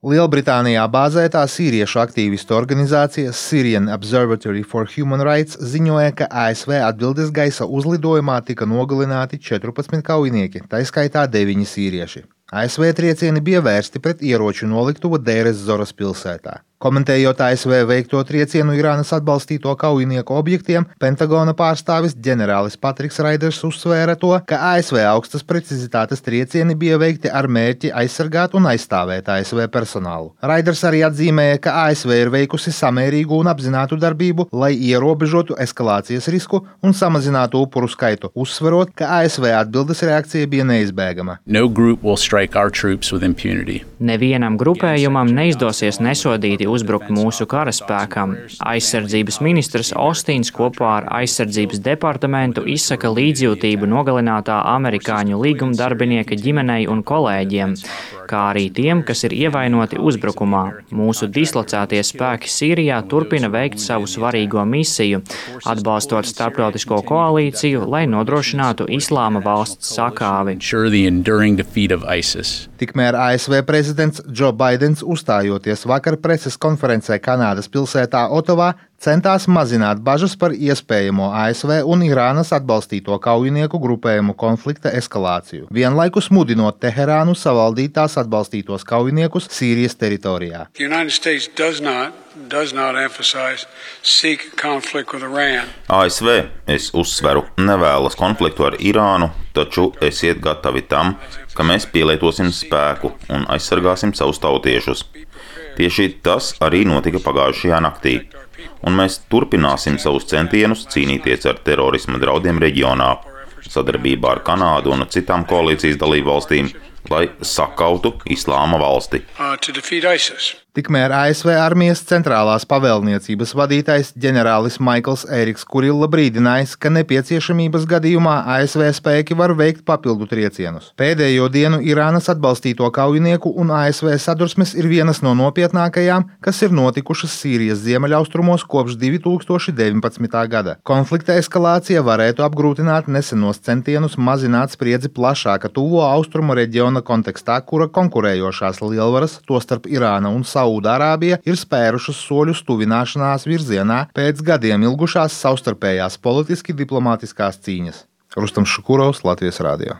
Lielbritānijā bāzētā sīriešu aktīvistu organizācija Syrian Observatory for Human Rights ziņoja, ka ASV atbildes gaisa uzlidojumā tika nogalināti 14 kaujinieki, tā skaitā 9 sīrieši. ASV triecieni bija vērsti pret ieroču noliktuvu Deiras Zoras pilsētā. Komentējot ASV veikto triecienu Irānas atbalstīto kaujinieku objektiem, Pentagona pārstāvis ģenerālis Patriks Raiders uzsvēra to, ka ASV augstas precizitātes triecieni bija veikti ar mērķi aizsargāt un aizstāvēt ASV personālu. Raiders arī atzīmēja, ka ASV ir veikusi samērīgu un apzinātu darbību, lai ierobežotu eskalācijas risku un samazinātu upuru skaitu, uzsverot, ka ASV atbildes reakcija bija neizbēgama. Nevienam grupējumam neizdosies nesodīti uzbrukt mūsu karaspēkam. Aizsardzības ministrs Ostins kopā ar aizsardzības departamentu izsaka līdzjūtību nogalinātā amerikāņu līgumdarbinieka ģimenei un kolēģiem, kā arī tiem, kas ir ievainoti uzbrukumā. Mūsu dislocētie spēki Sīrijā turpina veikt savu svarīgo misiju, atbalstot starptautisko koalīciju, lai nodrošinātu Islāma valsts sakāvi. Tikmēr ASV prezidents Joe Baidens, uzstājoties vakar preses konferencē Kanādas pilsētā Otavā, centās mazināt bažas par iespējamo ASV un Irānas atbalstīto kaujinieku grupējumu konflikta eskalāciju, vienlaikus mudinot Teherānu savaldīt tās atbalstītos kaujiniekus Sīrijas teritorijā. ASV, es uzsveru, nevēlas konfliktu ar Irānu, taču esiet gatavi tam, ka mēs pielietosim spēku un aizsargāsim savus tautiešus. Tieši tas arī notika pagājušajā naktī, un mēs turpināsim savus centienus cīnīties ar terorisma draudiem reģionā, sadarbībā ar Kanādu un citām koalīcijas dalībvalstīm, lai sakautu Islāma valsti. Tikmēr ASV armijas centrālās pavēlniecības vadītājs ģenerālis Maikls Eriks Kurilla brīdinājis, ka nepieciešamības gadījumā ASV spēki var veikt papildu triecienus. Pēdējo dienu Irānas atbalstīto kaujinieku un ASV sadursmes ir vienas no nopietnākajām, kas ir notikušas Sīrijas ziemeļaustrumos kopš 2019. gada. Konflikta eskalācija varētu apgrūtināt nesenos centienus mazināt spriedzi plašāka tuvo austrumu reģiona kontekstā, kura konkurējošās lielvaras, tostarp Irāna un Saūdārābija, ir spērušas soļus tuvināšanās virzienā pēc gadiem ilgušās savstarpējās politiski diplomātiskās cīņas. Rustam Šukurovs, Latvijas radio.